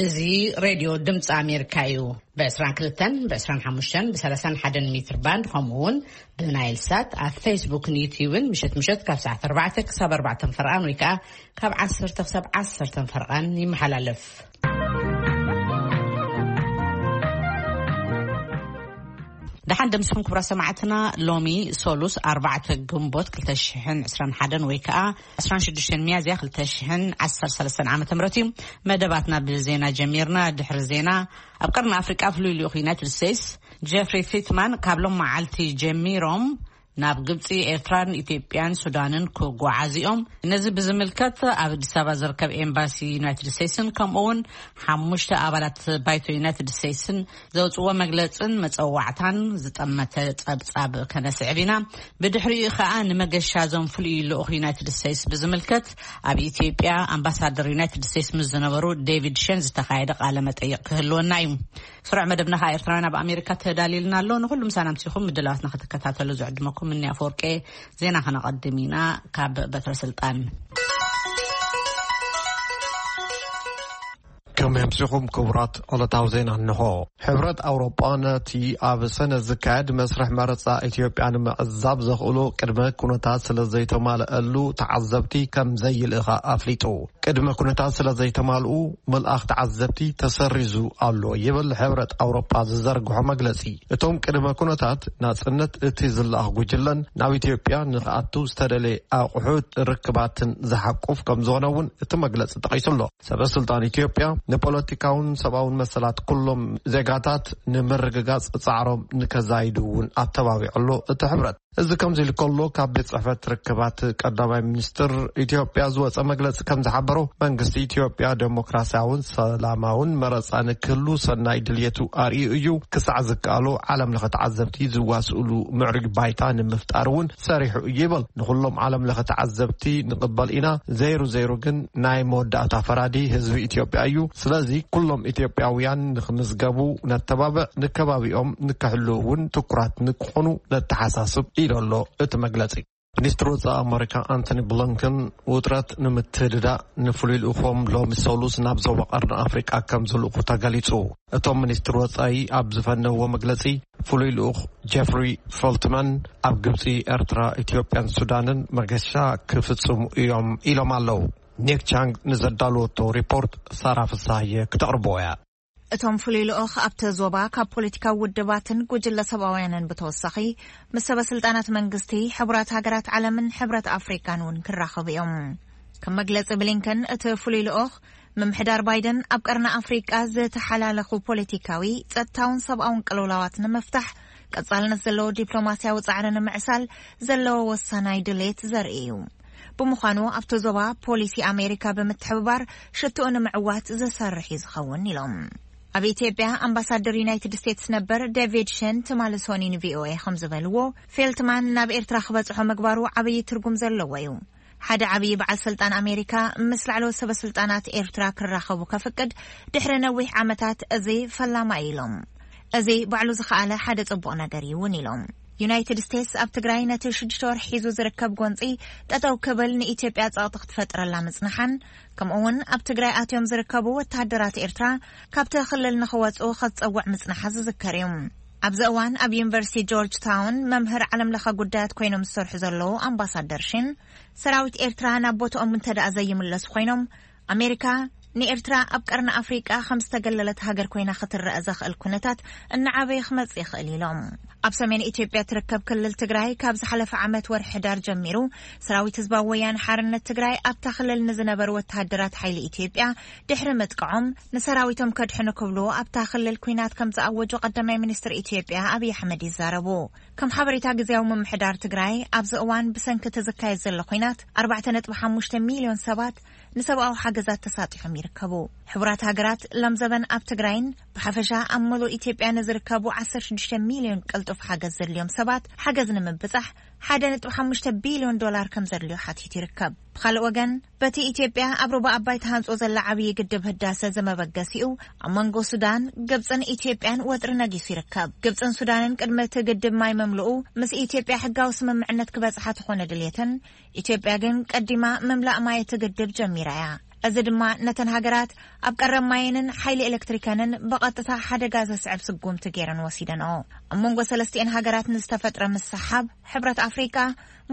እዚ ሬድዮ ድምፂ ኣሜሪካ እዩ። ብ22፣ ብ25፣ ብ31 ሜትር ባንድ፣ ከምኡ እውን ብናይል ሳት ኣብ ፌስቡክን ዩትዩብን ምሸት ምሸት ካብ ሰዓት ኣርባዕተ ክሳብ ኣርባዕተ ፈርቓን ወይ ከዓ ካብ ዓሰርተ ክሳብ ዓሰርተ ፈርቓን ይመሓላለፍ። ደሓን ደምስኹም ክቡራት ሰማዕትና። ሎሚ ሶሉስ ኣርባዕተ ግንቦት ክልተ ሽሕን ዕስራን ሓደን ወይ ከዓ ዕስራን ሽዱሽተን ሚያዝያ ክልተ ሽሕን ዓሰርተ ሰለስተን ዓመተ ምህረት እዩ። መደባትና ብዜና ጀሚርና። ድሕሪ ዜና፣ ኣብ ቀርኒ ኣፍሪቃ ፍሉይ ልኡኽ ዩናይትድ ስቴትስ ጀፍሪ ፊትማን ካብ ሎም መዓልቲ ጀሚሮም ናብ ግብፂ፣ ኤርትራን ኢትዮጵያን ሱዳንን ክጓዓዙ እዮም። ነዚ ብዝምልከት ኣብ ኣዲስ ኣበባ ዝርከብ ኤምባሲ ዩናይትድ ስቴትስን ከምኡ እውን ሓሙሽተ ኣባላት ባይቶ ዩናይትድ ስቴትስን ዘውፅዎ መግለፅን መፀዋዕታን ዝጠመተ ፀብፃብ ከነስዕብ ኢና። ብድሕሪኡ ከዓ ንመገሻ እዞም ፍሉይ ልኡኽ ዩናይትድ ስቴትስ ብዝምልከት ኣብ ኢትዮጵያ ኣምባሳደር ዩናይትድ ስቴትስ ምስ ዝነበሩ ዴቪድ ሸን ዝተኻየደ ቃለ መጠይቕ ክህልወና እዩ። ስሩዕ መደብና ከዓ ኤርትራውያን ኣብ ኣሜሪካ ተዳልዩልና ኣሎ። ንኹሉ ምሳና ምሲኹም ምድላዋትና ክትከታተሉ ዝዕድመኩም እኒ ኣፈወርቄ። ዜና ከነቐድም ኢና። ካብ በትረ ስልጣን። ከመይ ኣምሲኹም ክቡራት? ዕለታዊ ዜና እንሆ። ሕብረት ኣውሮጳ ነቲ ኣብ ሰነ ዝካየድ መስርሕ መረጻ ኢትዮጵያ ንምዕዛብ ዘኽእሉ ቅድመ ኩነታት ስለ ዘይተማልአሉ ተዓዘብቲ ከም ዘይልእኻ ኣፍሊጡ። ቅድመ ኩነታት ስለ ዘይተማልኡ ምልኣኽ ተዓዘብቲ ተሰሪዙ ኣሎ ይብል ሕብረት ኣውሮጳ ዝዘርግሖ መግለጺ። እቶም ቅድመ ኩነታት ናጽነት እቲ ዝለኣኽ ጉጅለን ናብ ኢትዮጵያ ንኽኣቱ ዝተደለየ ኣቑሑት ርክባትን ዝሓቁፍ ከም ዝኾነ እውን እቲ መግለጺ ጠቒሱ ኣሎ። ሰበ ስልጣን ኢትዮጵያ ንፖለቲካውን ሰብኣውን መሰላት ኩሎም ዜጋታት ንምርግጋጽ ጻዕሮም ንከዛይዱ እውን ኣተባቢዑ ኣሎ እቲ ሕብረት። እዚ ከምዚ ኢሉ ከሎ፣ ካብ ቤት ጽሕፈት ርክባት ቀዳማይ ሚኒስትር ኢትዮጵያ ዝወጸ መግለጺ ከም ዝሓበሮ፣ መንግስቲ ኢትዮጵያ ዴሞክራሲያውን ሰላማውን መረጻ ንክህሉ ሰናይ ድልየቱ ኣርእዩ እዩ። ክሳዕ ዝከኣሎ ዓለም ለኸ ተዓዘብቲ ዝዋስእሉ ምዕሩግ ባይታ ንምፍጣር እውን ሰሪሑ እዩ ይብል። ንኹሎም ዓለም ለኸ ተዓዘብቲ ንቕበል ኢና፣ ዘይሩ ዘይሩ ግን ናይ መወዳእታ ፈራዲ ህዝቢ ኢትዮጵያ እዩ። ስለዚ ኩሎም ኢትዮጵያውያን ንክምዝገቡ ነተባብዕ፣ ንከባቢኦም ንክሕልው እውን ትኩራት ንክኾኑ ነተሓሳስብ ኢሉ ኣሎ እቲ መግለጺ። ሚኒስትሪ ወጻኢ ኣመሪካ ኣንቶኒ ብሊንከን ውጥረት ንምትህድዳእ ንፍሉይ ልኡኾም ሎሚ ሰሉስ ናብ ዞባ ቀርኒ ኣፍሪቃ ከም ዝልእኹ ተገሊጹ። እቶም ሚኒስትሪ ወጻኢ ኣብ ዝፈነዎ መግለጺ፣ ፍሉይ ልኡኽ ጀፍሪ ፈልትማን ኣብ ግብጺ፣ ኤርትራ፣ ኢትዮጵያን ሱዳንን መገሻ ክፍጽሙ እዮም ኢሎም ኣለዉ። ኒክ ቻንግ ንዘዳለወቶ ሪፖርት ሳራ ፍሳሃየ ክተቕርቦ እያ። እቶም ፍሉይ ልኡኽ ኣብቲ ዞባ ካብ ፖለቲካዊ ውድባትን ጉጅለ ሰብኣውያንን ብተወሳኺ፣ ምስ ሰበ ስልጣናት መንግስቲ፣ ሕቡራት ሃገራት ዓለምን ሕብረት ኣፍሪካን እውን ክራኸቡ እዮም። ከም መግለጺ ብሊንከን፣ እቲ ፍሉይ ልኡኽ ምምሕዳር ባይደን ኣብ ቀርኒ ኣፍሪቃ ዝተሓላለኹ ፖለቲካዊ፣ ጸጥታውን ሰብኣውን ቅልውላዋት ንምፍታሕ ቀጻልነት ዘለዎ ዲፕሎማስያዊ ጻዕሪ ንምዕሳል ዘለዎ ወሳናይ ድሌት ዘርኢ እዩ። ብምዃኑ ኣብቲ ዞባ ፖሊሲ ኣሜሪካ ብምትሕብባር ሽትኡ ንምዕዋት ዝሰርሕ እዩ ዝኸውን ኢሎም። ኣብ ኢትዮጵያ ኣምባሳደር ዩናይትድ ስቴትስ ነበር ዴቪድ ሸን ትማሊ ሶኒ ንቪኦኤ ከም ዝበልዎ፣ ፌልትማን ናብ ኤርትራ ክበጽሖ ምግባሩ ዓብዪ ትርጉም ዘለዎ እዩ። ሓደ ዓብዪ በዓል ስልጣን ኣሜሪካ ምስ ላዕለዎት ሰበ ስልጣናት ኤርትራ ክራኸቡ ከፍቅድ ድሕሪ ነዊሕ ዓመታት፣ እዚ ፈላማ እዩ ኢሎም። እዚ ባዕሉ ዝኸኣለ ሓደ ጽቡቕ ነገር እዩ እውን ኢሎም። ዩናይትድ ስቴትስ ኣብ ትግራይ ነቲ ሽዱሽተ ወርሒ ሒዙ ዝርከብ ጎንጺ ጠጠው ክብል ንኢትዮጵያ ጸቕጢ ክትፈጥረላ ምጽንሓን፣ ከምኡ እውን ኣብ ትግራይ ኣትዮም ዝርከቡ ወተሃደራት ኤርትራ ካብቲ ክልል ንኽወጽኡ ክትጸውዕ ምጽንሓ ዝዝከር እዩ። ኣብዚ እዋን ኣብ ዩኒቨርሲቲ ጆርጅ ታውን መምህር ዓለም ለኸ ጉዳያት ኮይኖም ዝሰርሑ ዘለዉ ኣምባሳደር ሽን፣ ሰራዊት ኤርትራ ናብ ቦታኦም እንተ ደኣ ዘይምለሱ ኮይኖም፣ ኣሜሪካ ንኤርትራ ኣብ ቀርኒ ኣፍሪቃ ከም ዝተገለለት ሃገር ኮይና ክትረአ ዘኽእል ኩነታት እናዓበየ ክመጽእ ይኽእል ኢሎም። ኣብ ሰሜን ኢትዮጵያ ትርከብ ክልል ትግራይ ካብ ዝሓለፈ ዓመት ወርሒ ሕዳር ጀሚሩ ሰራዊት ህዝባዊ ወያነ ሓርነት ትግራይ ኣብታ ክልል ንዝነበሩ ወተሃደራት ሓይሊ ኢትዮጵያ ድሕሪ ምጥቃዖም፣ ንሰራዊቶም ከድሕኑ ክብሉ ኣብታ ክልል ኲናት ከም ዝኣወጁ ቀዳማይ ሚኒስትር ኢትዮጵያ ኣብይ ኣሕመድ ይዛረቡ። ከም ሓበሬታ ግዝያዊ ምምሕዳር ትግራይ፣ ኣብዚ እዋን ብሰንኪ እቲ ዝካየድ ዘሎ ኲናት ኣርባዕተ ነጥቢ ሓሙሽተ ሚልዮን ሰባት ንሰብኣዊ ሓገዛት ተሳጢሖም ይርከቡ። ሕቡራት ሃገራት ሎም ዘበን ኣብ ትግራይን ብሓፈሻ ኣብ መሉእ ኢትዮጵያ ንዝርከቡ ዓሰርተ ሽዱሽተ ሚልዮን ቅልጡፍ ሓገዝ ዘድልዮም ሰባት ሓገዝ ንምብጻሕ ሓደ ነጥቢ ሓሙሽተ ቢልዮን ዶላር ከም ዘድልዮ ሓቲቱ ይርከብ። ብኻልእ ወገን፣ በቲ ኢትዮጵያ ኣብ ሩባ ኣባይ ተሃንጾ ዘላ ዓብዪ ግድብ ህዳሰ ዘመበገሲኡ ኣብ መንጎ ሱዳን፣ ግብጽን ኢትዮጵያን ወጥሪ ነጊሱ ይርከብ። ግብጽን ሱዳንን ቅድሚ እቲ ግድብ ማይ መምልኡ ምስ ኢትዮጵያ ሕጋዊ ስምምዕነት ክበጽሓ ተኾነ ድልየተን፣ ኢትዮጵያ ግን ቀዲማ ምምላእ ማይ እቲ ግድብ ጀሚራ እያ። እዚ ድማ ነተን ሃገራት ኣብ ቀረብ ማየንን ሓይሊ ኤሌክትሪከንን ብቐጥታ ሓደጋ ዘስዕብ ስጉምቲ ገይረን ወሲደንኦ። ኣብ መንጎ ሰለስቲኤን ሃገራት ንዝተፈጥረ ምስሓብ ሕብረት ኣፍሪቃ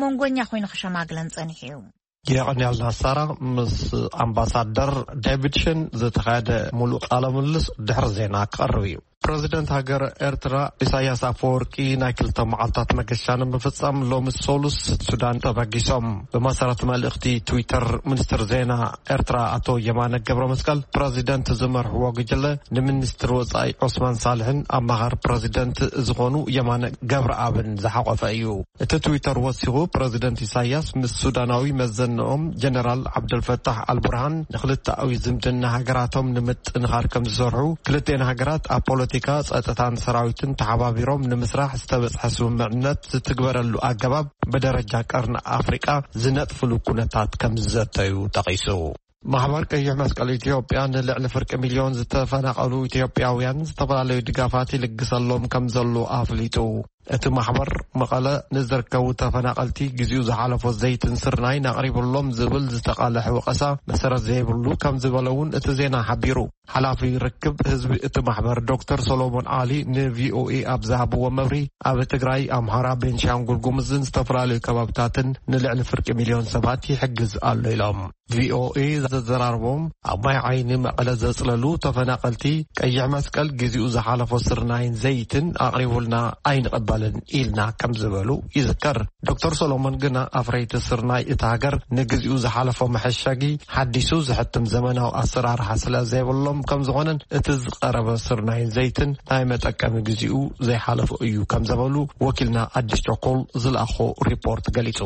መንጎኛ ኮይኑ ክሸማግለን ጸኒሑ እዩ። የቐንያልና ሳራ። ምስ ኣምባሳደር ዴቪድ ሽን ዝተኻየደ ሙሉእ ቃለ ምልልስ ድሕሪ ዜና ክቐርብ እዩ። ፕረዚደንት ሃገር ኤርትራ ኢሳያስ ኣፈወርቂ ናይ ክልተ መዓልታት መገሻ ንምፍጻም ሎሚ ሰሉስ ሱዳን ተበጊሶም። ብመሰረት መልእኽቲ ትዊተር ሚኒስትር ዜና ኤርትራ ኣቶ የማነ ገብረ መስቀል፣ ፕረዚደንት ዝመርሕዎ ጉጅለ ንሚኒስትር ወጻኢ ዑስማን ሳልሕን ኣማኻሪ ፕረዚደንት ዝኾኑ የማነ ገብረኣብን ዝሓቖፈ እዩ። እቲ ትዊተር ወሲኹ፣ ፕረዚደንት ኢሳያስ ምስ ሱዳናዊ መዘንኦም ጀነራል ዓብደልፈታሕ ኣልቡርሃን ንክልተኣዊ ዝምድና ሃገራቶም ንምጥንኻር ከም ዝሰርሑ፣ ክልቴን ሃገራት ኣብ ፖለቲካ፣ ጸጥታን ሰራዊትን ተሓባቢሮም ንምስራሕ ዝተበጽሐ ስምምዕነት ዝትግበረሉ ኣገባብ ብደረጃ ቀርኒ ኣፍሪቃ ዝነጥፍሉ ኩነታት ከም ዝዘተዩ ጠቒሱ። ማሕበር ቀይሕ መስቀል ኢትዮጵያ ንልዕሊ ፍርቂ ሚልዮን ዝተፈናቐሉ ኢትዮጵያውያን ዝተፈላለዩ ድጋፋት ይልግሰሎም ከም ዘሎ ኣፍሊጡ። እቲ ማሕበር መቐለ ንዝርከቡ ተፈናቐልቲ ግዜኡ ዝሓለፎ ዘይትን ስርናይን ኣቕሪብሎም ዝብል ዝተቓልሐ ወቐሳ መሰረት ዘይብሉ ከም ዝበለ እውን እቲ ዜና ሓቢሩ። ሓላፊ ርክብ ህዝቢ እቲ ማሕበር ዶክተር ሶሎሞን ዓሊ ንቪኦኤ ኣብ ዝሃብዎ መብርሂ፣ ኣብ ትግራይ፣ ኣምሓራ፣ ቤንሻንጉል ጉሙዝን ዝተፈላለዩ ከባብታትን ንልዕሊ ፍርቂ ሚልዮን ሰባት ይሕግዝ ኣሎ ኢሎም። ቪኦኤ ዘዘራርቦም ኣብ ማይ ዓይኒ መቐለ ዘጽለሉ ተፈናቐልቲ፣ ቀይሕ መስቀል ግዜኡ ዝሓለፎ ስርናይን ዘይትን ኣቕሪቡልና ኣይንቕበልን ኢልና ከም ዝበሉ ይዝከር። ዶክተር ሶሎሞን ግና ኣፍረይቲ ስርናይ እታ ሃገር ንግዜኡ ዝሓለፎ መሐሸጊ ሓዲሱ ዝሕትም ዘመናዊ ኣሰራርሓ ስለ ዘይብሎም ከም ዝኾነን እቲ ዝቐረበ ስርናይን ዘይትን ናይ መጠቀሚ ግዜኡ ዘይሓለፎ እዩ ከም ዘበሉ ወኪልና ኣዲስ ቸኮል ዝለኣኾ ሪፖርት ገሊጹ።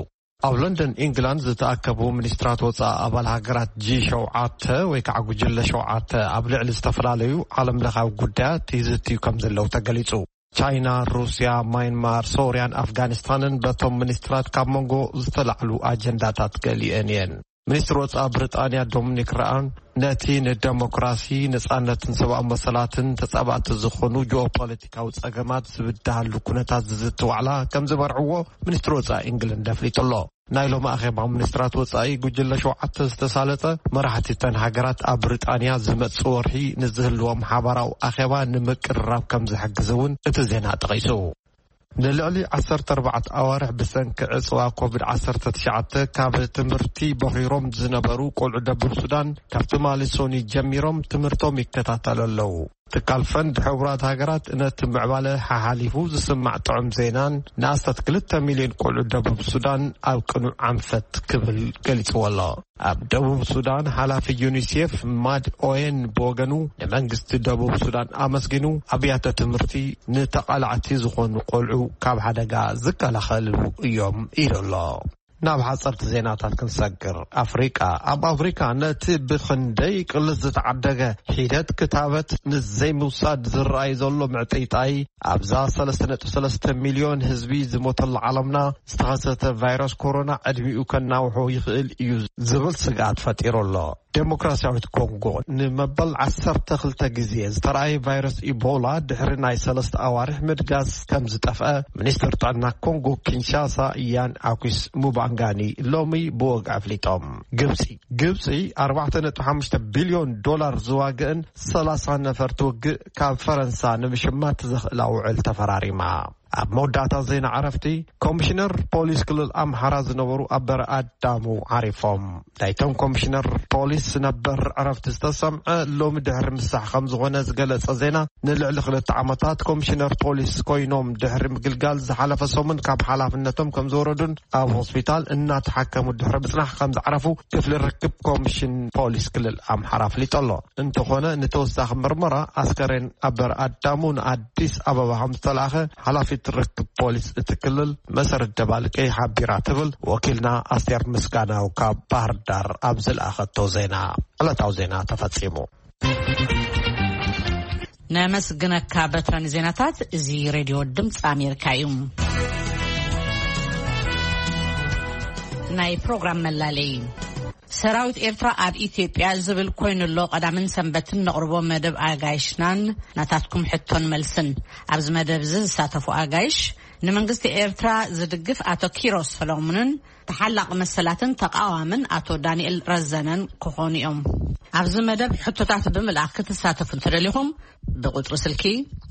ኣብ ለንደን ኢንግላንድ ዝተኣከቡ ሚኒስትራት ወጻኢ ኣባል ሃገራት ጂ ሸውዓተ ወይ ከዓ ጉጅለ ሸውዓተ ኣብ ልዕሊ ዝተፈላለዩ ዓለም ለኻዊ ጉዳያት ይዝትዩ ከም ዘለዉ ተገሊጹ። ቻይና፣ ሩስያ፣ ማይንማር፣ ሶርያን ኣፍጋኒስታንን በቶም ሚኒስትራት ካብ መንጎ ዝተላዕሉ ኣጀንዳታት ገሊአን እየን። ሚኒስትር ወጻኢ ብሪጣንያ ዶሚኒክ ራኣን ነቲ ንደሞክራሲ፣ ነጻነትን ሰብኣዊ መሰላትን ተጻባእቲ ዝኾኑ ጂኦፖለቲካዊ ጸገማት ዝብድሃሉ ኩነታት ዝዝቲ ዋዕላ ከም ዝመርዕዎ ሚኒስትር ወጻኢ ኢንግላንድ ኣፍሊጡ ኣሎ። ናይ ሎሚ ኣኼባ ሚኒስትራት ወጻኢ ጉጅለ ሸውዓተ ዝተሳለጠ፣ መራሕቲ እተን ሃገራት ኣብ ብሪጣንያ ዝመጽእ ወርሒ ንዝህልዎም ሓባራዊ ኣኼባ ንምቅርራብ ከም ዝሕግዝ እውን እቲ ዜና ጠቒሱ። ንልዕሊ ዓሰርተ ኣርባዕተ ኣዋርሕ ብሰንኪ ዕጽዋ ኮቪድ ዓሰርተ ትሽዓተ ካብ ትምህርቲ በኺሮም ዝነበሩ ቆልዑ ደቡብ ሱዳን ካብ ትማሊ ሶኒ ጀሚሮም ትምህርቶም ይከታተሉ ኣለዉ። ትካል ፈንድ ሕቡራት ሃገራት ነቲ ምዕባለ ሓሓሊፉ ዝስማዕ ጥዑም ዜናን ንኣስታት ክልተ ሚልዮን ቆልዑ ደቡብ ሱዳን ኣብ ቅኑዕ ኣንፈት ክብል ገሊጽዎ ኣሎ። ኣብ ደቡብ ሱዳን ሓላፊ ዩኒሴፍ ማድ ኦየን ብወገኑ ንመንግስቲ ደቡብ ሱዳን ኣመስጊኑ ኣብያተ ትምህርቲ ንተቓላዕቲ ዝኾኑ ቆልዑ ካብ ሓደጋ ዝከላኸሉ እዮም ኢሉ ኣሎ። ናብ ሓጸርቲ ዜናታት ክንሰግር። ኣፍሪቃ። ኣብ ኣፍሪቃ ነቲ ብኽንደይ ቅልስ ዝተዓደገ ሒደት ክታበት ንዘይምውሳድ ዝረኣይ ዘሎ ምዕጥይጣይ ኣብዛ ሰለስተ ነጥቢ ሰለስተ ሚልዮን ህዝቢ ዝሞተላ ዓለምና ዝተኸሰተ ቫይረስ ኮሮና ዕድሚኡ ከናውሖ ይኽእል እዩ ዝብል ስግኣት ፈጢሩ ኣሎ። ዴሞክራሲያዊት ኮንጎ። ንመበል ዓሰርተ ክልተ ግዜ ዝተረኣየ ቫይረስ ኢቦላ ድሕሪ ናይ ሰለስተ ኣዋርሕ ምድጋስ ከም ዝጠፍአ ሚኒስትር ጥዕና ኮንጎ ኪንሻሳ ያን ኣኩስ ሙባንጋኒ ሎሚ ብወግዒ ኣፍሊጦም። ግብፂ። ግብፂ ኣርባዕተ ነጥቢ ሓሙሽተ ቢልዮን ዶላር ዝዋግእን ሰላሳ ነፈርቲ ውግእ ካብ ፈረንሳ ንምሽማት ዘኽእላ ውዕል ተፈራሪማ። ኣብ መወዳእታ ዜና ዕረፍቲ፣ ኮሚሽነር ፖሊስ ክልል ኣምሓራ ዝነበሩ ኣበረ ኣዳሙ ዓሪፎም። ናይቶም ኮሚሽነር ፖሊስ ነበር ዕረፍቲ ዝተሰምዐ ሎሚ ድሕሪ ምሳሕ ከም ዝኾነ ዝገለጸ ዜና፣ ንልዕሊ ክልተ ዓመታት ኮሚሽነር ፖሊስ ኮይኖም ድሕሪ ምግልጋል ዝሓለፈ ሰሙን ካብ ሓላፍነቶም ከም ዝወረዱን ኣብ ሆስፒታል እናተሓከሙ ድሕሪ ምጽናሕ ከም ዝዓረፉ ክፍሊ ርክብ ኮሚሽን ፖሊስ ክልል ኣምሓራ ኣፍሊጡ ኣሎ። እንተኾነ ንተወሳኺ ምርመራ ኣስከሬን ኣበር ኣዳሙ ንኣዲስ ኣበባ ከም ዝተላእኸ ሓላፊት ርክብ ፖሊስ እቲ ክልል መሰረት ደባልቂ ሓቢራ ትብል ወኪልና ኣስቴር ምስጋናው ካብ ባህር ዳር ኣብ ዝለኣኸቶ ዜና። ዕለታዊ ዜና ተፈጺሙ። ነመስግነካ በትረ ንዜናታት። እዚ ሬድዮ ድምፂ ኣሜሪካ እዩ። ናይ ፕሮግራም መላለይ። ሰራዊት ኤርትራ ኣብ ኢትዮጵያ ዝብል ኮይኑ ኣሎ። ቀዳምን ሰንበትን ነቕርቦ መደብ ኣጋይሽናን ናታትኩም ሕቶን መልስን። ኣብዚ መደብ እዚ ዝሳተፉ ኣጋይሽ፣ ንመንግስቲ ኤርትራ ዝድግፍ ኣቶ ኪሮስ ሰሎሙንን ተሓላቒ መሰላትን ተቓዋምን ኣቶ ዳንኤል ረዘነን ክኾኑ እዮም። ኣብዚ መደብ ሕቶታት ብምልኣኽ ክትሳተፉ እንተደሊኹም፣ ብቁጽሪ ስልኪ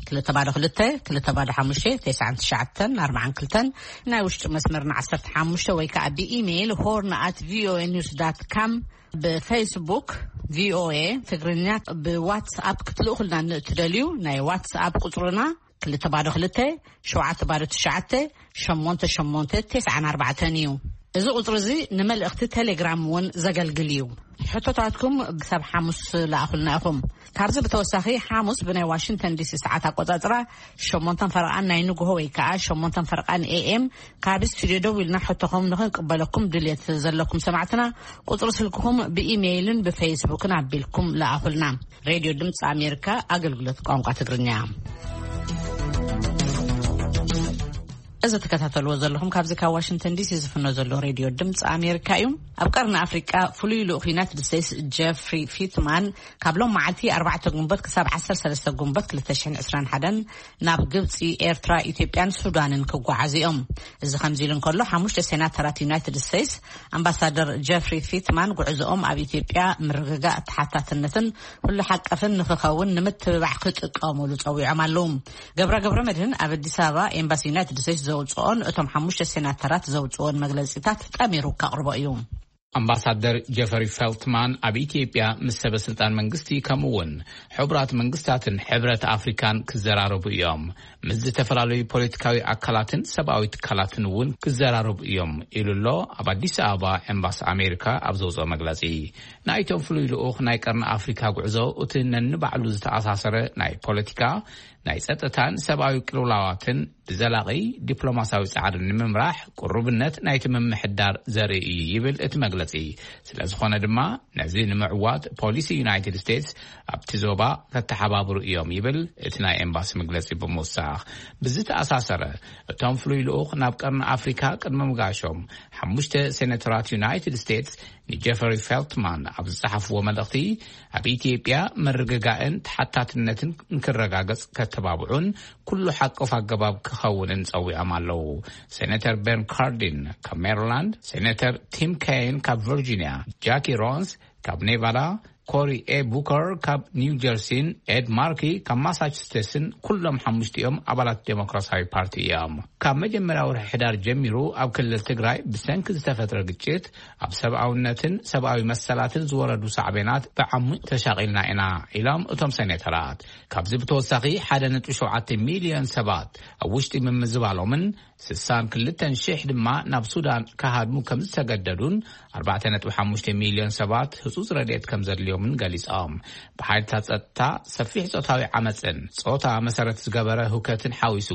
ክልተ ባዶ ክልተ፣ ክልተ ባዶ ሓሙሽተ፣ ተስዓን ትሽዓተን ኣርባዓን ክልተን፣ ናይ ውሽጢ መስመርና ዓሰርተ ሓሙሽተ ወይ ከኣ ብኢሜይል ሆርን ኣት ቪኦኤ ኒውስ ዳት ካም፣ ብፌስቡክ ቪኦኤ ትግርኛ፣ ብዋትስኣፕ ክትልእኹልና ንእትደልዩ ናይ ዋትስኣፕ ቁጽርና ክልተ ባዶ ክልተ፣ ሸውዓተ ባዶ ትሽዓተ፣ ሸሞንተ ሸሞንተ፣ ተስዓን ኣርባዕተን እዩ። እዚ ቁጽሪ እዚ ንመልእኽቲ ቴሌግራም እውን ዘገልግል እዩ። ሕቶታትኩም ክሳብ ሓሙስ ለኣኹልና ኢኹም። ካብዚ ብተወሳኺ፣ ሓሙስ ብናይ ዋሽንግተን ዲሲ ሰዓት ኣቆጻጽራ ሸሞንተን ፈረቓን ናይ ንግሆ ወይ ከኣ ሸሞንተን ፈረቓን ኤ ኤም፣ ካብ ስቱድዮ ደው ኢልና ሕቶኹም ንኽንቅበለኩም ድልየት ዘለኩም ሰማዕትና፣ ቁጽሪ ስልክኹም ብኢሜይልን ብፌስቡክን ኣቢልኩም ለኣኹልና። ሬድዮ ድምፂ ኣሜሪካ፣ ኣገልግሎት ቋንቋ ትግርኛ። እዚ ትከታተልዎ ዘለኹም ካብዚ ካብ ዋሽንግተን ዲሲ ዝፍኖ ዘሎ ሬድዮ ድምፂ ኣሜሪካ እዩ። ኣብ ቀርኒ ኣፍሪቃ ፍሉይ ልኡኽ ዩናይትድ ስቴትስ ጀፍሪ ፊትማን ካብ ሎም መዓልቲ ኣርባዕተ ጉንበት ክሳብ ዓሰርተ ሰለስተ ጉንበት ክልተ ሽሕን ዕስራን ሓደን ናብ ግብፂ፣ ኤርትራ፣ ኢትዮጵያን ሱዳንን ክጓዓዙ እዮም። እዚ ከምዚ ኢሉ እንከሎ፣ ሓሙሽተ ሴናተራት ዩናይትድ ስቴትስ ኣምባሳደር ጀፍሪ ፊትማን ጉዕዞኦም ኣብ ኢትዮጵያ ምርግጋእ፣ ተሓታትነትን ኩሉ ሓቀፍን ንክኸውን ንምትብባዕ ክጥቀሙሉ ጸዊዖም ኣለዉ። ገብረ ገብረ መድህን ኣብ ኣዲስ ኣበባ ኤምባሲ ዩናይትድ ስቴትስ ዘውጽኦን እቶም ሓሙሽተ ሴናተራት ዘውጽኦን መግለጺታት ጠሚሩ ከቕርቦ እዩ። ኣምባሳደር ጀፈሪ ፌልትማን ኣብ ኢትዮጵያ ምስ ሰበ ስልጣን መንግስቲ፣ ከምኡ እውን ሕቡራት መንግስታትን ሕብረት ኣፍሪካን ክዘራረቡ እዮም። ምስ ዝተፈላለዩ ፖለቲካዊ ኣካላትን ሰብኣዊ ትካላትን እውን ክዘራረቡ እዮም ኢሉ ኣሎ ኣብ ኣዲስ ኣበባ ኤምባሲ ኣሜሪካ ኣብ ዘውፅኦ መግለፂ። ናይቶም ፍሉይ ልኡኽ ናይ ቀርኒ ኣፍሪካ ጉዕዞ፣ እቲ ነንባዕሉ ዝተኣሳሰረ ናይ ፖለቲካ፣ ናይ ጸጥታን ሰብኣዊ ቅልውላዋትን ብዘላቒ ዲፕሎማሲያዊ ጻዕሪ ንምምራሕ ቅሩብነት ናይቲ ምምሕዳር ዘርኢ እዩ ይብል እቲ መግለጺ። ስለ ዝኾነ ድማ፣ ነዚ ንምዕዋት ፖሊሲ ዩናይትድ ስቴትስ ኣብቲ ዞባ ከተሓባብሩ እዮም ይብል እቲ ናይ ኤምባሲ መግለጺ ብምውሳኽ። ብዝተኣሳሰረ፣ እቶም ፍሉይ ልኡኽ ናብ ቀርኒ ኣፍሪካ ቅድሚ ምጋሾም፣ ሓሙሽተ ሴኔተራት ዩናይትድ ስቴትስ ንጀፈሪ ፌልትማን ኣብ ዝጸሓፍዎ መልእኽቲ፣ ኣብ ኢትዮጵያ ምርግጋእን ተሓታትነትን ንክረጋገጽ ከተባብዑን ኩሉ ሓቆፍ ኣገባብ ክኸውንን ጸዊዖም ኣለዉ። ሴኔተር ቤን ካርዲን ካብ ሜሪላንድ፣ ሴኔተር ቲም ካይን ካብ ቨርጂንያ፣ ጃኪ ሮንስ ካብ ኔቫዳ፣ ኮሪ ኤ ቡከር ካብ ኒው ጀርሲን ኤድ ማርኪ ካብ ማሳቹሴትስን ኩሎም ሓሙሽቲኦም ኣባላት ዴሞክራሲያዊ ፓርቲ እዮም። ካብ መጀመርያ ወርሒ ሕዳር ጀሚሩ ኣብ ክልል ትግራይ ብሰንኪ ዝተፈጥረ ግጭት ኣብ ሰብኣውነትን ሰብኣዊ መሰላትን ዝወረዱ ሳዕቤናት ብዓሚቕ ተሻቒልና ኢና ኢሎም እቶም ሴኔተራት። ካብዚ ብተወሳኺ ሓደ ነጥቢ ሸውዓተ ሚልዮን ሰባት ኣብ ውሽጢ ምምዝባሎምን ስሳን ክልተን ሽሕ ድማ ናብ ሱዳን ክሃድሙ ከም ዝተገደዱን ኣርባዕተ ነጥቢ ሓሙሽተ ሚልዮን ሰባት ህጹጽ ረድኤት ከም ዘድልዮምን ገሊጾም። ብሓይልታት ጸጥታ ሰፊሕ ጾታዊ ዓመጽን ጾታ መሰረት ዝገበረ ህውከትን ሓዊሱ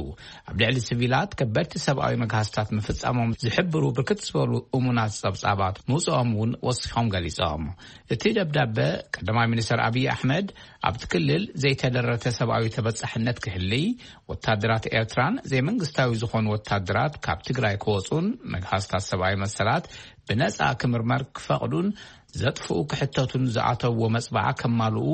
ኣብ ልዕሊ ሲቪላት ከበድቲ ሰብኣዊ መግሃስታት ምፍጻሞም ዝሕብሩ ብርክት ዝበሉ እሙናት ጸብጻባት ምውጽኦም እውን ወሲኾም ገሊጾም። እቲ ደብዳበ ቀዳማይ ሚኒስተር ኣብይ ኣሕመድ ኣብቲ ክልል ዘይተደረተ ሰብኣዊ ተበጻሕነት ክህልይ፣ ወታደራት ኤርትራን ዘይመንግስታዊ ዝኾኑ ወታደራት ካብ ትግራይ ክወጹን መግሃስታት ሰብኣዊ መሰላት ብነጻ ክምርመር ክፈቕዱን ዘጥፍኡ ክሕተቱን ዝኣተውዎ መጽባዓ ከማልኡ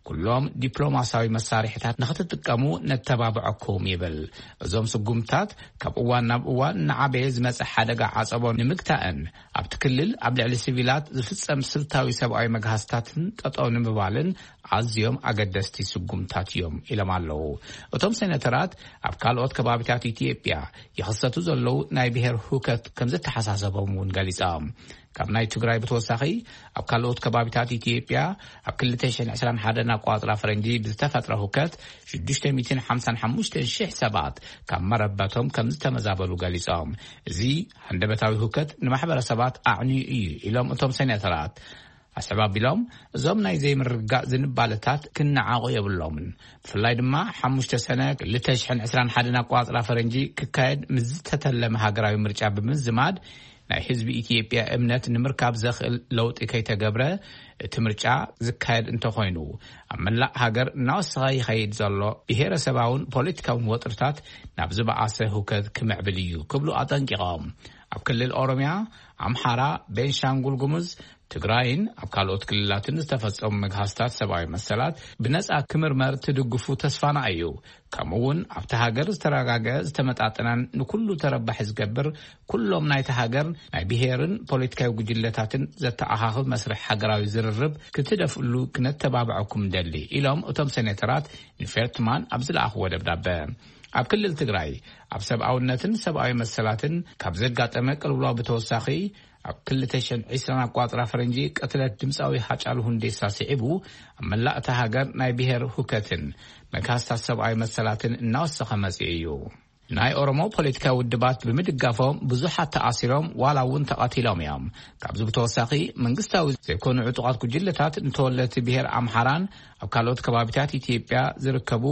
ኩሎም ዲፕሎማሲያዊ መሳርሒታት ንኽትጥቀሙ ነተባብዐኩም ይብል። እዞም ስጉምታት ካብ እዋን ናብ እዋን እናዓበየ ዝመጽእ ሓደጋ ዓጸቦ ንምግታእን ኣብቲ ክልል ኣብ ልዕሊ ሲቪላት ዝፍጸም ስልታዊ ሰብኣዊ መግሃስታትን ጠጠው ንምባልን ኣዝዮም ኣገደስቲ ስጉምታት እዮም ኢሎም ኣለዉ። እቶም ሴኔተራት ኣብ ካልኦት ከባቢታት ኢትዮጵያ ይኽሰቱ ዘለዉ ናይ ብሔር ሁከት ከም ዘተሓሳሰቦም እውን ገሊጾም። ካብ ናይ ትግራይ ብተወሳኺ ኣብ ካልኦት ከባቢታት ኢትዮጵያ ኣብ ክልተ ሽሕን ዕስራን ሓደን ኣቋጽራ ፈረንጂ ብዝተፈጥረ ሁከት ሽዱሽተ ሚእትን ሓምሳን ሓሙሽተን ሽሕ ሰባት ካብ መረበቶም ከም ዝተመዛበሉ ገሊጾም። እዚ ሃንደበታዊ ሁከት ንማሕበረሰባት ኣዕንዩ እዩ ኢሎም እቶም ሴኔተራት። ኣስዕብ ኣቢሎም፣ እዞም ናይ ዘይምርግጋእ ዝንባለታት ክነዓቑ የብሎምን። ብፍላይ ድማ ሓሙሽተ ሰነ ክልተ ሽሕን ዕስራን ሓደን ኣቋጽራ ፈረንጂ ክካየድ ምስ ዝተተለመ ሃገራዊ ምርጫ ብምዝማድ፣ ናይ ህዝቢ ኢትዮጵያ እምነት ንምርካብ ዘኽእል ለውጢ ከይተገብረ፣ እቲ ምርጫ ዝካየድ እንተኾይኑ፣ ኣብ መላእ ሃገር እናወሰኸ ይኸይድ ዘሎ ብሄረሰባውን ፖለቲካውን ወጥርታት ናብ ዝበኣሰ ህውከት ክምዕብል እዩ ክብሉ ኣጠንቂቖም። ኣብ ክልል ኦሮሚያ፣ ኣምሓራ፣ ቤንሻንጉል ጉሙዝ፣ ትግራይን ኣብ ካልኦት ክልላትን ዝተፈጸሙ መግሃስታት ሰብኣዊ መሰላት ብነጻ ክምርመር ትድግፉ ተስፋና እዩ። ከምኡ እውን ኣብቲ ሃገር ዝተረጋገ፣ ዝተመጣጠናን ንኩሉ ተረባሒ ዝገብር፣ ኩሎም ናይቲ ሃገር ናይ ብሄርን ፖለቲካዊ ጉጅለታትን ዘተኣኻኽብ መስርሕ ሃገራዊ ዝርርብ ክትደፍእሉ ክነተባብዐኩም ንደሊ ኢሎም እቶም ሴኔተራት ንፌርትማን ኣብ ዝለኣኽዎ ደብዳበ። ኣብ ክልል ትግራይ ኣብ ሰብኣውነትን ሰብኣዊ መሰላትን ካብ ዘጋጠመ ቅልውላው ብተወሳኺ፣ ኣብ ክልተ ሽሕን ዕስራን ኣቋጽራ ፈረንጂ ቅትለት ድምፃዊ ሃጫሉ ሁንዴሳ ስዒቡ፣ ኣብ መላእ እታ ሃገር ናይ ብሄር ሁከትን መግሃስታት ሰብኣዊ መሰላትን እናወሰኸ መጺኡ እዩ። ናይ ኦሮሞ ፖለቲካዊ ውድባት ብምድጋፎም ብዙሓት ተኣሲሮም ዋላ እውን ተቐቲሎም እዮም። ካብዚ ብተወሳኺ መንግስታዊ ዘይኮኑ ዕጡቓት ጉጅለታት ንተወለድቲ ብሄር ኣምሓራን ኣብ ካልኦት ከባቢታት ኢትዮጵያ ዝርከቡ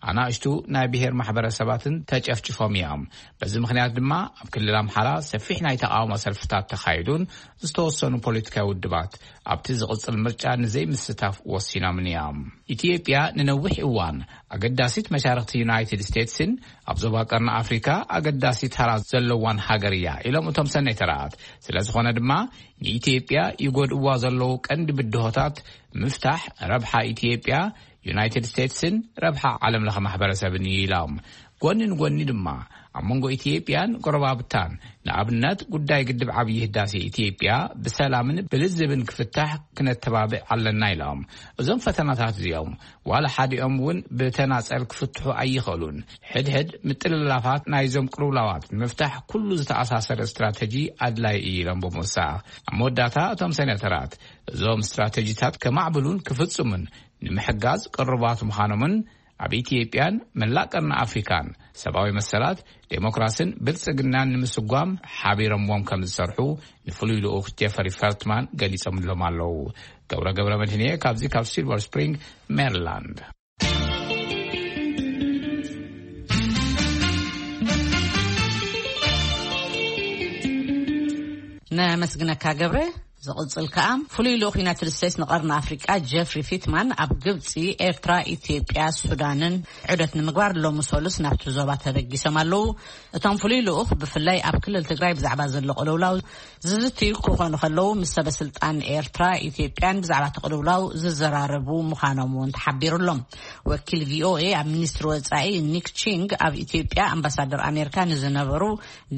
ኣናእሽቱ ናይ ብሄር ማሕበረሰባትን ተጨፍጭፎም እዮም። በዚ ምኽንያት ድማ ኣብ ክልል ኣምሓራ ሰፊሕ ናይ ተቓውሞ ሰልፍታት ተኻይዱን ዝተወሰኑ ፖለቲካዊ ውድባት ኣብቲ ዝቕጽል ምርጫ ንዘይምስታፍ ወሲኖምን እዮም። ኢትዮጵያ ንነዊሕ እዋን ኣገዳሲት መሻርክቲ ዩናይትድ ስቴትስን ኣብ ዞባ ቀርኒ ኣፍሪካ ኣገዳሲ ተራ ዘለዋን ሃገር እያ ኢሎም እቶም ሰኔተራት። ስለ ዝኾነ ድማ ንኢትዮጵያ ይጎድእዋ ዘለዉ ቀንዲ ብድሆታት ምፍታሕ ረብሓ ኢትዮጵያ፣ ዩናይትድ ስቴትስን ረብሓ ዓለም ለኸ ማሕበረሰብን እዩ ኢሎም። ጎኒ ንጎኒ ድማ ኣብ መንጎ ኢትዮጵያን ጎረባብታን፣ ንኣብነት ጉዳይ ግድብ ዓብዪ ህዳሴ ኢትዮጵያ ብሰላምን ብልዝብን ክፍታሕ ክነተባብዕ ኣለና ኢሎም። እዞም ፈተናታት እዚኦም ዋላ ሓዲኦም እውን ብተናጸል ክፍትሑ ኣይኽእሉን። ሕድሕድ ምጥልላፋት ናይዞም ቅልውላዋት ንምፍታሕ ኩሉ ዝተኣሳሰረ ስትራተጂ ኣድላይ እዩ ኢሎም ብምውሳኽ፣ ኣብ መወዳእታ እቶም ሴኔተራት እዞም ስትራተጂታት ከማዕብሉን ክፍጽሙን ንምሕጋዝ ቅሩባት ምዃኖምን ኣብ ኢትዮጵያን መላእ ቀርኒ ኣፍሪካን ሰብኣዊ መሰላት፣ ዴሞክራስን ብልጽግናን ንምስጓም ሓቢሮምዎም ከም ዝሰርሑ ንፍሉይ ልኡኽ ጄፈሪ ፈልትማን ገሊጾምሎም ኣለዉ። ገብረ ገብረ መድህንየ ካብዚ ካብ ሲልቨር ስፕሪንግ ሜሪላንድ። ነመስግነካ ገብረ። ዝቕጽል ከኣ ፍሉይ ልኡኽ ዩናይትድ ስቴትስ ንቐርኒ ኣፍሪቃ ጀፍሪ ፊትማን ኣብ ግብጺ፣ ኤርትራ፣ ኢትዮጵያ፣ ሱዳንን ዑደት ንምግባር ሎሚ ሰሉስ ናብቲ ዞባ ተበጊሶም ኣለዉ። እቶም ፍሉይ ልኡኽ ብፍላይ ኣብ ክልል ትግራይ ብዛዕባ ዘሎ ቅልውላው ዝዝትዩ ክኾኑ ከለዉ፣ ምስ ሰበ ስልጣን ኤርትራ፣ ኢትዮጵያን ብዛዕባ እቲ ቅልውላው ዝዘራረቡ ምዃኖም እውን ተሓቢሩ ኣሎ። ወኪል ቪኦኤ ኣብ ሚኒስትሪ ወጻኢ ኒክ ቺንግ ኣብ ኢትዮጵያ ኣምባሳደር ኣሜሪካ ንዝነበሩ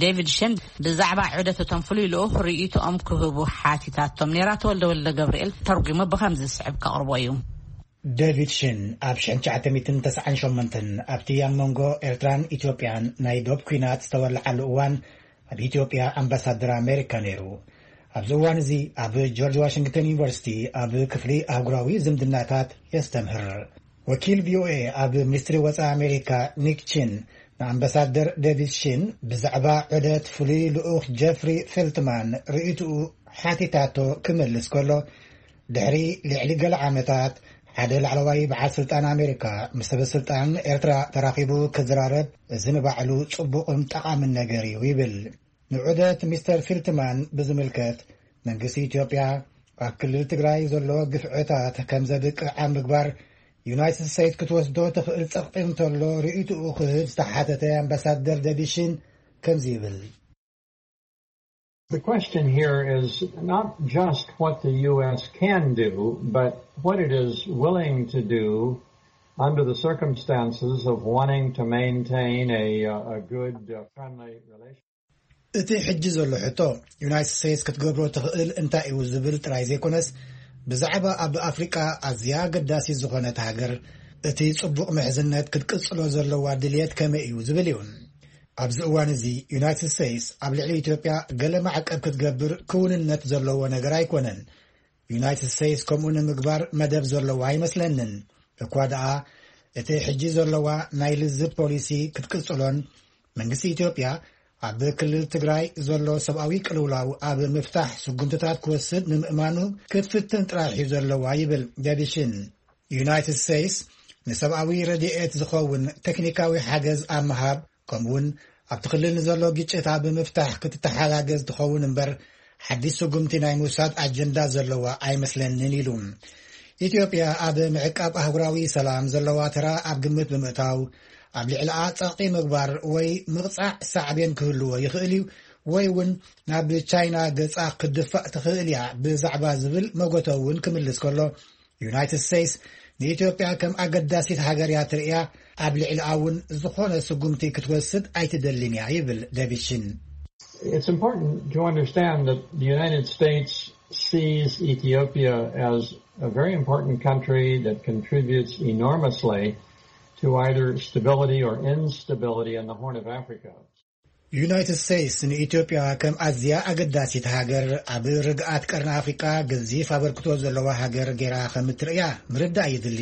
ዴቪድ ሽን ብዛዕባ ዑደት እቶም ፍሉይ ልኡኽ ርእይቶኦም ክህቡ ሓቲታቶም ነይራ። ተወልደ ወልደ ገብርኤል ተርጒሙ ብኸምዚ ዝስዕብ ከቕርቦ እዩ። ዴቪድ ሽን ኣብ ሽሕን ትሽዓተ ሚእትን ተስዓን ሸሞንተን ኣብቲ ኣብ መንጎ ኤርትራን ኢትዮጵያን ናይ ዶብ ኲናት ዝተወልዓሉ እዋን ኣብ ኢትዮጵያ ኣምባሳደር ኣሜሪካ ነይሩ። ኣብዚ እዋን እዚ ኣብ ጆርጅ ዋሽንግተን ዩኒቨርሲቲ ኣብ ክፍሊ ኣህጉራዊ ዝምድናታት የስተምህር። ወኪል ቪኦኤ ኣብ ሚኒስትሪ ወጻኢ ኣሜሪካ ኒክ ቺን ንኣምባሳደር ዴቪድ ሺን ብዛዕባ ዑደት ፍሉይ ልኡኽ ጀፍሪ ፌልትማን ርእይትኡ ሓቲታቶ ክመልስ ከሎ፣ ድሕሪ ልዕሊ ገለ ዓመታት ሓደ ላዕለዋይ በዓል ስልጣን ኣሜሪካ ምስ ሰበ ስልጣን ኤርትራ ተራኺቡ ክዘራረብ፣ እዚ ንባዕሉ ጽቡቕን ጠቓምን ነገር እዩ ይብል። ንዑደት ሚስተር ፊልትማን ብዝምልከት፣ መንግስቲ ኢትዮጵያ ኣብ ክልል ትግራይ ዘሎ ግፍዕታት ከም ዘብቅዕ ኣብ ምግባር ዩናይትድ ስቴትስ ክትወስዶ ትኽእል ጸቕጢ እንተሎ ርእይትኡ ክህብ ዝተሓተተ ኣምባሳደር ደቢሽን ከምዚ ይብል። The question here is not just what the U S can do, but what it is willing to do under the circumstances of wanting to maintain a, uh, a good, uh, friendly relationship. እቲ ሕጂ ዘሎ ሕቶ፣ ዩናይትድ ስቴትስ ክትገብሮ ትኽእል እንታይ እዩ ዝብል ጥራይ ዘይኮነስ፣ ብዛዕባ ኣብ ኣፍሪቃ ኣዝያ ኣገዳሲት ዝኾነት ሃገር እቲ ጽቡቕ ምሕዝነት ክትቅጽሎ ዘለዋ ድልየት ከመይ እዩ ዝብል እዩ። ኣብዚ እዋን እዚ፣ ዩናይትድ ስቴትስ ኣብ ልዕሊ ኢትዮጵያ ገለ ማዕቀብ ክትገብር ክውንነት ዘለዎ ነገር ኣይኮነን። ዩናይትድ ስቴትስ ከምኡ ንምግባር መደብ ዘለዋ ኣይመስለንን። እኳ ደኣ፣ እቲ ሕጂ ዘለዋ ናይ ልዝብ ፖሊሲ ክትቅጽሎን መንግስቲ ኢትዮጵያ ኣብ ክልል ትግራይ ዘሎ ሰብኣዊ ቅልውላው ኣብ ምፍታሕ ስጉምትታት ክወስድ ንምእማኑ ክትፍትን ጥራሕ እዩ ዘለዋ ይብል ደቪሽን። ዩናይትድ ስቴትስ ንሰብኣዊ ረድኤት ዝኸውን ቴክኒካዊ ሓገዝ ኣብ ምሃብ፣ ከምኡውን ኣብቲ ክልል ንዘሎ ግጭት ኣብ ምፍታሕ ክትተሓጋገዝ ትኸውን እምበር፣ ሓዲስ ስጉምቲ ናይ ምውሳድ ኣጀንዳ ዘለዋ ኣይመስለንን ኢሉ። ኢትዮጵያ ኣብ ምዕቃብ ኣህጉራዊ ሰላም ዘለዋ ተራ ኣብ ግምት ብምእታው፣ ኣብ ልዕሊኣ ጸቕጢ ምግባር ወይ ምቕጻዕ ሳዕቤን ክህልዎ ይኽእል እዩ፣ ወይ እውን ናብ ቻይና ገጻ ክትድፋእ ትኽእል እያ ብዛዕባ ዝብል መጎተ እውን ክምልስ ከሎ፣ ዩናይትድ ስቴትስ ንኢትዮጵያ ከም ኣገዳሲት ሃገር እያ ትርእያ፣ ኣብ ልዕሊኣ እውን ዝኾነ ስጉምቲ ክትወስድ ኣይትደልን እያ ይብል ደቪድ ሽን። It's important to understand that the United States sees Ethiopia as a very important country that contributes enormously to either stability or instability in the Horn of Africa. ዩናይትድ ስቴትስ ንኢትዮጵያ ከም ኣዝያ ኣገዳሲት ሃገር፣ ኣብ ርግኣት ቀርኒ ኣፍሪቃ ገዚፍ ኣበርክቶ ዘለዋ ሃገር ገይራ ከም እትርእያ ምርዳእ የድሊ።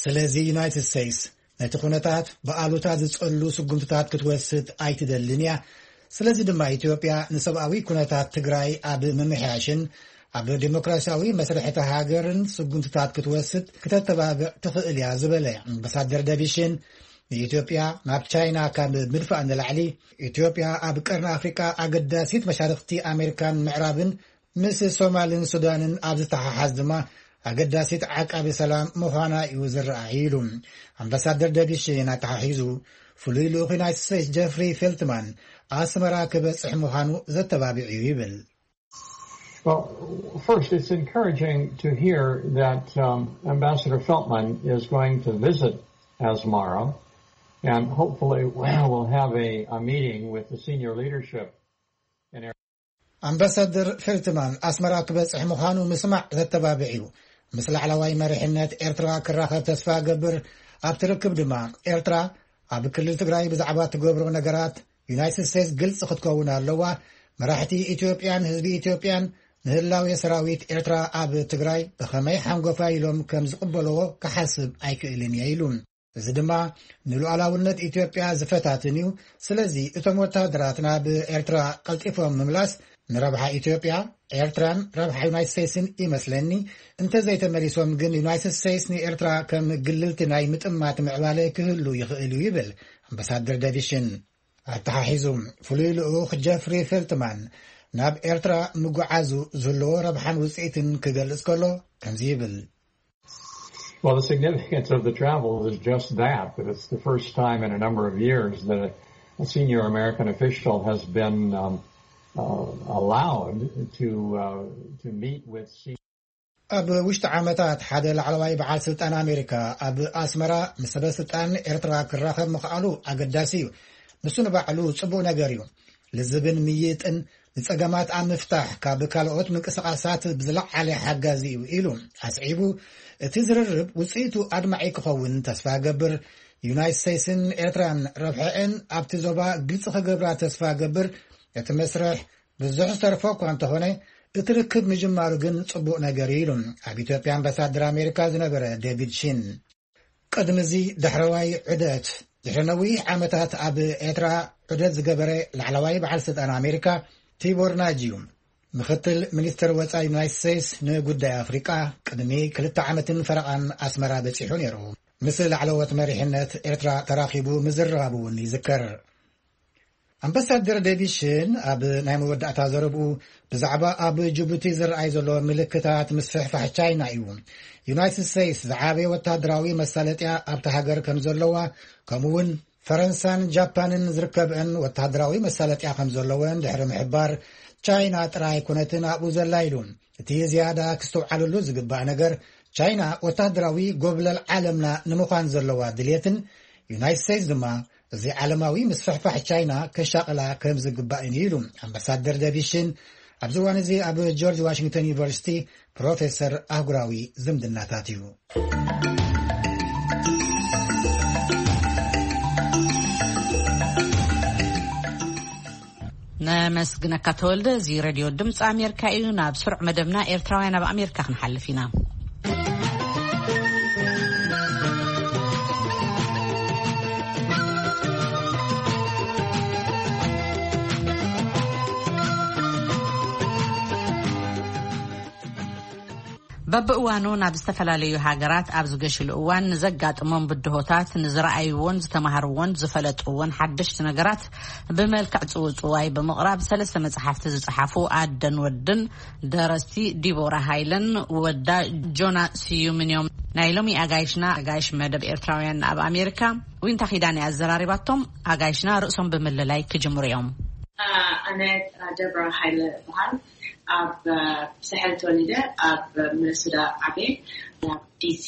ስለዚ ዩናይትድ ስቴትስ ነቲ ኩነታት ብኣሉታ ዝጸሉ ስጉምትታት ክትወስድ ኣይትደልን እያ። ስለዚ ድማ ኢትዮጵያ ንሰብኣዊ ኩነታት ትግራይ ኣብ ምምሕያሽን ኣብ ዴሞክራሲያዊ መስርሕቲ ሃገርን ስጉምትታት ክትወስድ ክተተባብዕ ትኽእል እያ ዝበለ ኣምባሳደር ደቪሽን፣ ንኢትዮጵያ ናብ ቻይና ካብ ምድፋእ ንላዕሊ፣ ኢትዮጵያ ኣብ ቀርኒ ኣፍሪቃ ኣገዳሲት መሻርኽቲ ኣሜሪካን ምዕራብን ምስ ሶማልን ሱዳንን ኣብ ዝተሓሓዝ ድማ ኣገዳሲት ዓቃቢ ሰላም ምዃና እዩ ዝረኣ ኢሉ። ኣምባሳደር ደቪድ ሽን ኣተሓሒዙ፣ ፍሉይ ልኡኽ ዩናይትድ ስቴትስ ጀፍሪ ፌልትማን ኣስመራ ክበጽሕ ምዃኑ ዘተባብዕ እዩ ይብል። Well, first, it's encouraging to hear that um, Ambassador Feltman is going to visit Asmara, and hopefully we'll have a, a meeting with the senior leadership. ኣምባሳደር ፌልትማን ኣስመራ ክበጽሕ ምዃኑ ምስማዕ ዘተባብዕ እዩ። ምስ ላዕለዋይ መሪሕነት ኤርትራ ክራኸብ ተስፋ ገብር። ኣብቲ ርክብ ድማ ኤርትራ ኣብ ክልል ትግራይ ብዛዕባ ትገብሮ ነገራት ዩናይትድ ስቴትስ ግልጽ ክትከውን ኣለዋ። መራሕቲ ኢትዮጵያን ህዝቢ ኢትዮጵያን ንህላዌ ሰራዊት ኤርትራ ኣብ ትግራይ ብኸመይ ሓንጎፋይ ኢሎም ከም ዝቕበልዎ ክሓስብ ኣይክእልን እየ ኢሉ። እዚ ድማ ንሉዓላውነት ኢትዮጵያ ዝፈታትን እዩ። ስለዚ እቶም ወታደራት ናብ ኤርትራ ቀልጢፎም ምምላስ ንረብሓ ኢትዮጵያ፣ ኤርትራን ረብሓ ዩናይትድ ስቴትስን ይመስለኒ። እንተዘይተመሊሶም ግን ዩናይትድ ስቴትስ ንኤርትራ ከም ግልልቲ ናይ ምጥማት ምዕባለ ክህሉ ይኽእል እዩ ይብል ኣምባሳደር ደቪሽን። ኣተሓሒዙ ፍሉይ ልኡኽ ጀፍሪ ፌልትማን ናብ ኤርትራ ምጉዓዙ ዝህልዎ ረብሓን ውፅኢትን ክገልጽ ከሎ ከምዚ ይብል። Well, the significance of the travel is just that, that it's the first time in a number of years that a, a senior American official has been um, uh, allowed to uh, to meet with senior. ኣብ ውሽጢ ዓመታት ሓደ ላዕለዋይ በዓል ስልጣን ኣሜሪካ ኣብ ኣስመራ ምስ ሰበ ስልጣን ኤርትራ ክራኸብ ምኽኣሉ ኣገዳሲ እዩ። ንሱ ንባዕሉ ጽቡቕ ነገር እዩ። ልዝብን ምይጥን ንጸገማት ኣብ ምፍታሕ ካብ ካልኦት ምንቅስቓሳት ብዝለዓለ ሓጋዚ እዩ ኢሉ ኣስዒቡ፣ እቲ ዝርርብ ውጽኢቱ ኣድማዒ ክኸውን ተስፋ ገብር። ዩናይትድ ስቴትስን ኤርትራን ረብሐአን ኣብቲ ዞባ ግልጺ ክገብራ ተስፋ ገብር። እቲ መስርሕ ብዙሕ ዝተርፎ እኳ እንተኾነ፣ እቲ ርክብ ምጅማሩ ግን ጽቡቕ ነገር እዩ ኢሉ ኣብ ኢትዮጵያ ኣምባሳደር ኣሜሪካ ዝነበረ ዴቪድ ሺን። ቅድሚ እዚ ዳሕረዋይ ዑደት፣ ድሕሪ ነዊሕ ዓመታት ኣብ ኤርትራ ዑደት ዝገበረ ላዕለዋይ በዓል ስልጣን ኣሜሪካ ቲቦር ናጅ እዩ። ምኽትል ሚኒስትር ወጻኢ ዩናይትድ ስቴትስ ንጉዳይ ኣፍሪቃ ቅድሚ ክልተ ዓመትን ፈረቓን ኣስመራ በጺሑ ነይሩ። ምስ ላዕለዎት መሪሕነት ኤርትራ ተራኺቡ ምዝርራቡ እውን ይዝከር። ኣምባሳደር ዴቪድ ሽን ኣብ ናይ መወዳእታ ዘረብኡ ብዛዕባ ኣብ ጅቡቲ ዝረኣይ ዘሎ ምልክታት ምስፍሕፋሕ ቻይና እዩ። ዩናይትድ ስቴትስ ዝዓበየ ወታደራዊ መሳለጥያ ኣብታ ሃገር ከም ዘለዋ፣ ከምኡ እውን ፈረንሳን ጃፓንን ዝርከብአን ወታደራዊ መሳለጥያ ከም ዘለወን ድሕሪ ምሕባር፣ ቻይና ጥራይ ኣይኮነትን ኣብኡ ዘላ ኢሉ። እቲ ዝያዳ ክስተውዓለሉ ዝግባእ ነገር፣ ቻይና ወታደራዊ ጎብለል ዓለምና ንምዃን ዘለዋ ድልየትን ዩናይትድ ስቴትስ ድማ እዚ ዓለማዊ ምስፍሕፋሕ ቻይና ከሻቕላ ከም ዝግባእን እዩ ኢሉ ኣምባሳደር ዴቪድ ሽን። ኣብዚ እዋን እዚ ኣብ ጆርጅ ዋሽንግተን ዩኒቨርሲቲ ፕሮፌሰር ኣህጉራዊ ዝምድናታት እዩ። ነመስግነካ ተወልደ። እዚ ሬድዮ ድምፂ ኣሜሪካ እዩ። ናብ ስሩዕ መደብና ኤርትራውያን ኣብ ኣሜሪካ ክንሓልፍ ኢና። በብእዋኑ ናብ ዝተፈላለዩ ሃገራት ኣብ ዝገሽሉ እዋን ንዘጋጥሞም ብድሆታት፣ ንዝረኣይዎን ዝተማሃርዎን ዝፈለጥዎን ሓደሽቲ ነገራት ብመልክዕ ጽውጽዋይ ብምቕራብ ሰለስተ መጽሓፍቲ ዝጸሓፉ ኣደን ወድን ደረስቲ ዲቦራ ሃይለን ወዳ ጆና ስዩምን እዮም። ናይ ሎሚ ኣጋይሽና ኣጋይሽ መደብ ኤርትራውያን ኣብ ኣሜሪካ ዊንታ ኪዳን ኣዘራሪባቶም። ኣጋይሽና ርእሶም ብምልላይ ክጅምሩ እዮም። ኣነ ደብራ ሃይለ በሃል። ኣብ ሳሕል ተወሊደ ኣብ ሚነሶታ ዓብየ። ኣብ ዲሲ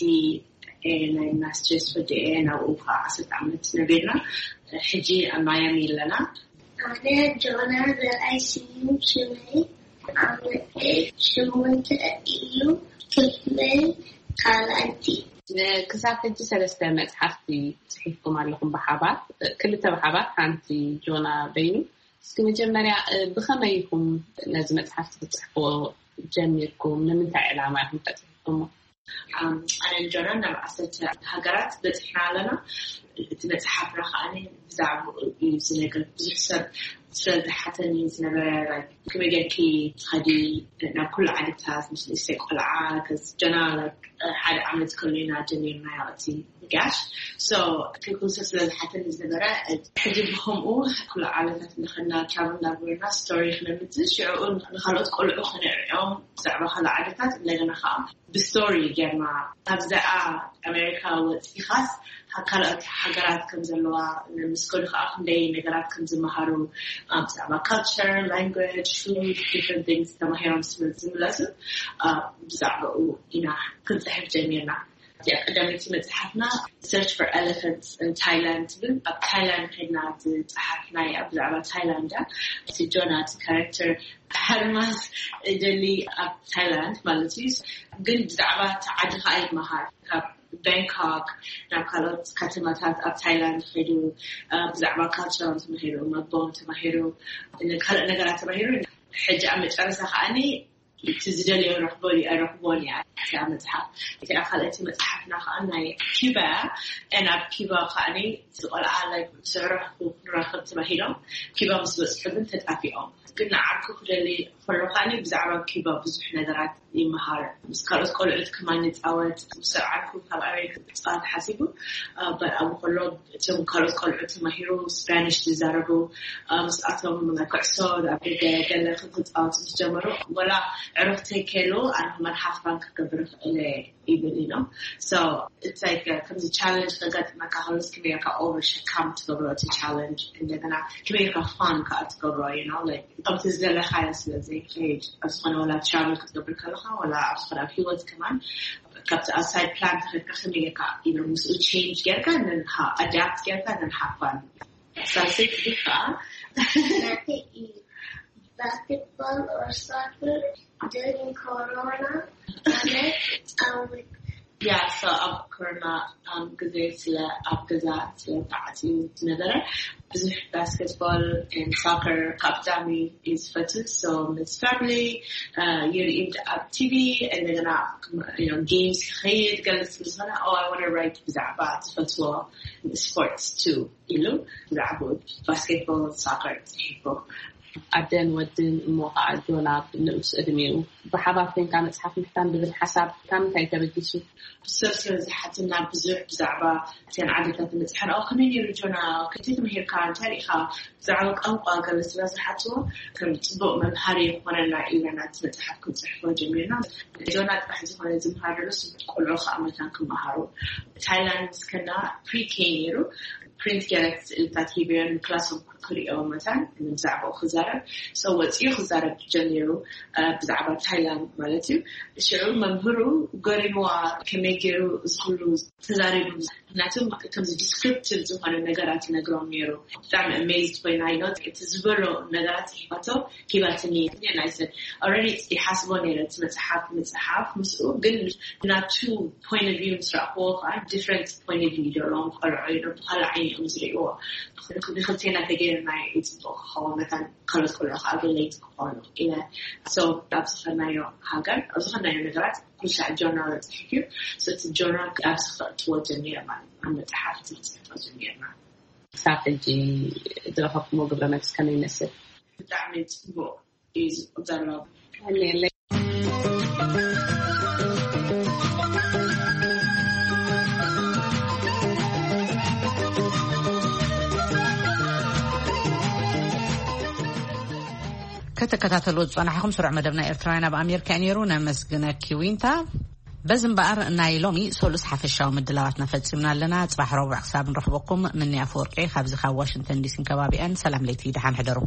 ናይ ማስተርስ ወዲኤ ናብኡ ከዓ ዓሰርተ ዓመት ነቢርና። ሕጂ ኣብ ማያሚ ኣለና። ኣነ ጆና ዘርኣይ ስዩም ሽመይ። ዓመተይ ሽሞንተ እዩ። ክፍለይ ካልኣይቲ። ክሳብ ሕጂ ሰለስተ መፅሓፍቲ ፅሒፍኩም ኣለኹም ብሓባር። ክልተ ብሓባር፣ ሓንቲ ጆና በይኑ። እስኪ መጀመርያ ብኸመይ ኢኹም ነዚ መፅሓፍቲ ክትፅሕፍዎ ጀሚርኩም? ንምንታይ ዕላማ ኢኹም ተፅሒፍኩሞ? ኣነ ጆና ናብ ዓሰርተ ሃገራት በፂሕና ኣለና። እቲ መፅሓፍና ከዓ ብዛዕባ እዩ ዝነገር። ብዙሕ ሰብ ስለዝሓተኒ ዝነበረ ከመይ ጌርኪ ትኸዲ ናብ ኩሉ ዓድታት ምስ ንእሽተይ ቆልዓ? ጆና ሓደ ዓመት ከሎ ኢና ጀሚርና ያወፂ ጋሽ። ክልተ ስለዝሓተኒ ዝነበረ ሕጂ ብከምኡ ኩሉ ዓለታት እናኸድና ትራቭል እናገበርና ስቶሪ ክነምፅእ ሽዕኡ ንካልኦት ቆልዑ ክነዕኦም ብዛዕባ ካልእ ዓድታት እንደገና ከዓ ብስቶሪ ጌርና ካብዚኣ ኣሜሪካ ወፂኻስ ካልኦት ሃገራት ከም ዘለዋ ምስ ከዱ ከዓ ክንደይ ነገራት ከም ዝመሃሩ ብዛዕባ ካልቸር፣ ላንጉጅ፣ ፉድ፣ ዲፍረንት ቲንግስ ተማሂሮም ስለ ዝምለሱ ብዛዕባኡ ኢና ክንፅሕፍ ጀሚርና። እቲኣ ቀዳመይቲ መፅሓፍና Search for Elephants in Thailand ትብል ኣብ ታይላንድ ከድና ዝፀሓፍና እያ። ብዛዕባ ታይላንድ እያ። እቲ ጆና እቲ ካራክተር ሓርማዝ ደሊ ኣብ ታይላንድ ማለት እዩ። ግን ብዛዕባ እቲ ዓዲ ከዓ ይመሃር። ካብ ባንኮክ ናብ ካልኦት ከተማታት ኣብ ታይላንድ ከይዱ ብዛዕባ ካልቸሮም ተማሂሩ፣ መግቦም ተማሂሩ፣ ካልኦት ነገራት ተማሂሩ። ሕጂ ኣብ መጨረሻ ከዓኒ እቲ ዝደልዮ ረኽቦ ረኽቦን እያ እቲኣ መፅሓፍ። እቲኣ ካልኣይቲ መፅሓፍና ከዓ ናይ ኪባ እያ። ኣብ ኪባ ከዓ ዝቆልዓ ስዕረኽቡ ክንረኽብ ተባሂሎም ኪባ ምስ በፅሑ ግን ተጣፊኦም። ግን ንዓርኩ ክደሊ ከሎ ከዓ ብዛዕባ ኪባ ብዙሕ ነገራት ይመሃር። ምስ ካልኦት ቆልዑት ከማን ይፃወት። ምስ ዓርኩ ካብ ኣሜሪካ ክፃወት ሓሲቡ ኣብኡ ከሎ እቶም ካልኦት ቆልዑ ተማሂሩ ስፓኒሽ ዝዛረቡ ምስኣቶም ናይ ኩዕሶ ኣብ ደገ ገለ ክፃወቱ ምስ ጀመሩ ወላ ዕረፍተይ ከሉ ኣነ ከማን ሃፍ ራን ክገብር ይኽእል እየ ይብል ኢሎም። ከምዚ ቻለንጅ ከጋጥመካ ከሎስ ከመይ ጌርካ ኦቨርካም ትገብሮ እቲ ቻለንጅ? እንደገና ከመይ ጌርካ ፋን ከዓ ትገብሮ? ከምቲ ዝደለካዮ ስለ ዘይከይድ ኣብ ዝኾነ ወላ ትራቨል ክትገብር ከለካ ወላ ኣብ ዝኾነ ኣብ ሂወት ከማን ካብቲ ኣውትሳይድ ፕላን ተኸድካ ከመይ ጌርካ ምስኡ ቼንጅ ጌርካ ኣዳፕት ጌርካ ነንሃፋን ሳልሰይቲ ከዓ ባስኬትቦል ኦር ሳከር ዱሪንግ ኮሮና ኣነ ፃወት። ያ ኣብ ኮሮና ግዜ ስለ ኣብ ገዛ ስለ ተዓፅዩ ዝነበረ ብዙሕ ባስኬትቦል ሳከር ካብ ብጣዕሚ እዩ ዝፈቱ። ምስ ፋሚሊ ይርኢ ኣብ ቲቪ እንደገና ጌምስ ክኸይድ ገለ ስለ ዝኾነ ኦ ኣይ ዋና ራይት ብዛዕባ ዝፈትዎ ስፖርትስ ቱ ኢሉ ብዛዕባ ባስኬትቦል ሳከር ፅሒፉ። ኣደን ወድን እሞ ከዓ ጆና ብንኡስ ዕድሜኡ ብሓባር ኮንካ መፅሓፍ ምሕታም ዝብል ሓሳብ ካብ ምንታይ ተበጊሱ? ሰብ ስለ ዝሓትና ብዙሕ ብዛዕባ እተን ዓድታት ንፅሕን ኦ ከመይ ነይሩ ጆና ከቲ ተምሂርካ እንታይ ርኢኻ ብዛዕባ ቋንቋ ገለ ስለ ዝሓትዎ ከም ፅቡቅ መምሃሪ ይኾነና ኢለና እቲ መፅሓፍ ክንፅሕፎ ጀሚርና። ጆና ጥራሕ ዝኾነ ዝምሃር ዘሎ ስቡት ቆልዑ ከዓ መታን ክመሃሩ። ታይላንድ ምስ ከና ፕሪኬ ነይሩ። ፕሪንት ገለ ስእልታት ሂበዮ ንክላሶም ክርእዮ መታን ብዛዕባኡ ክዛረብ ሰው ወፂኡ ክዛረብ ጀሚሩ። ብዛዕባ ታይላንድ ማለት እዩ። ሽዑ መምህሩ ገሪምዋ ከመይ ገይሩ እዚ ኩሉ ተዛሪቡ ምክንያቱ ከምዚ ዲስክሪፕቲቭ ዝኾነ ነገራት ይነግሮም ነይሩ። ብጣዕሚ ኣሜዝድ ኮይና ዩ እቲ ዝበሎ ነገራት ሒባቶ ሂባትኒ ናይ ሰብ ኦረዲ ይሓስቦ ነይረ እቲ መፅሓፍ ምፅሓፍ ምስኡ ግን ናቱ ፖይንት ቪው ምስ ረእክዎ ከዓ ዲፍረንት ፖይንት ቪው ዘለዎም ቆልዑ ዩ ብካልእ ዓይኒ እዮም ዝርእዎ። ንክልቴና ተገይርና ይፅቡቅ ክኸውን መታን ካልኦት ቆልዑ ከዓ ሪሌት ክኾኑ ኢለ ኣብ ዝኸናዮ ሃገር ኣብ ዝኸናዮ ነገራት ኩልሻዕ ጆርናል ፅሒፍ እዩ። እቲ ጆርናል ኣብዚ ክእትዎ ጀሚረ ማለት ኣብ መፅሓፍቲ ክፅሕፎ ጀሚርና። ክሳብ ሕጂ ዝረኸብኩሞ ግብረ መልስ ከመይ ይመስል? ብጣዕሚ ፅቡቅ እዩ ዘሎ። ከመይ የለይ። ከተከታተሉ ዝጸናሕኹም ስሩዕ መደብና ኤርትራውያን ኣብ ኣሜሪካ እዩ ነይሩ። ነመስግነኪ ዊንታ። በዚ እምበኣር ናይ ሎሚ ሶሉስ ሓፈሻዊ ምድላዋትና ፈጺምና ኣለና። ጽባሕ ረቡዕ ክሳብ ንረኽበኩም ምንያ ኣፈወርቂ ካብዚ ካብ ዋሽንግተን ዲሲን ከባቢኣን ሰላም ለይቲ፣ ደሓን ሕደሩ።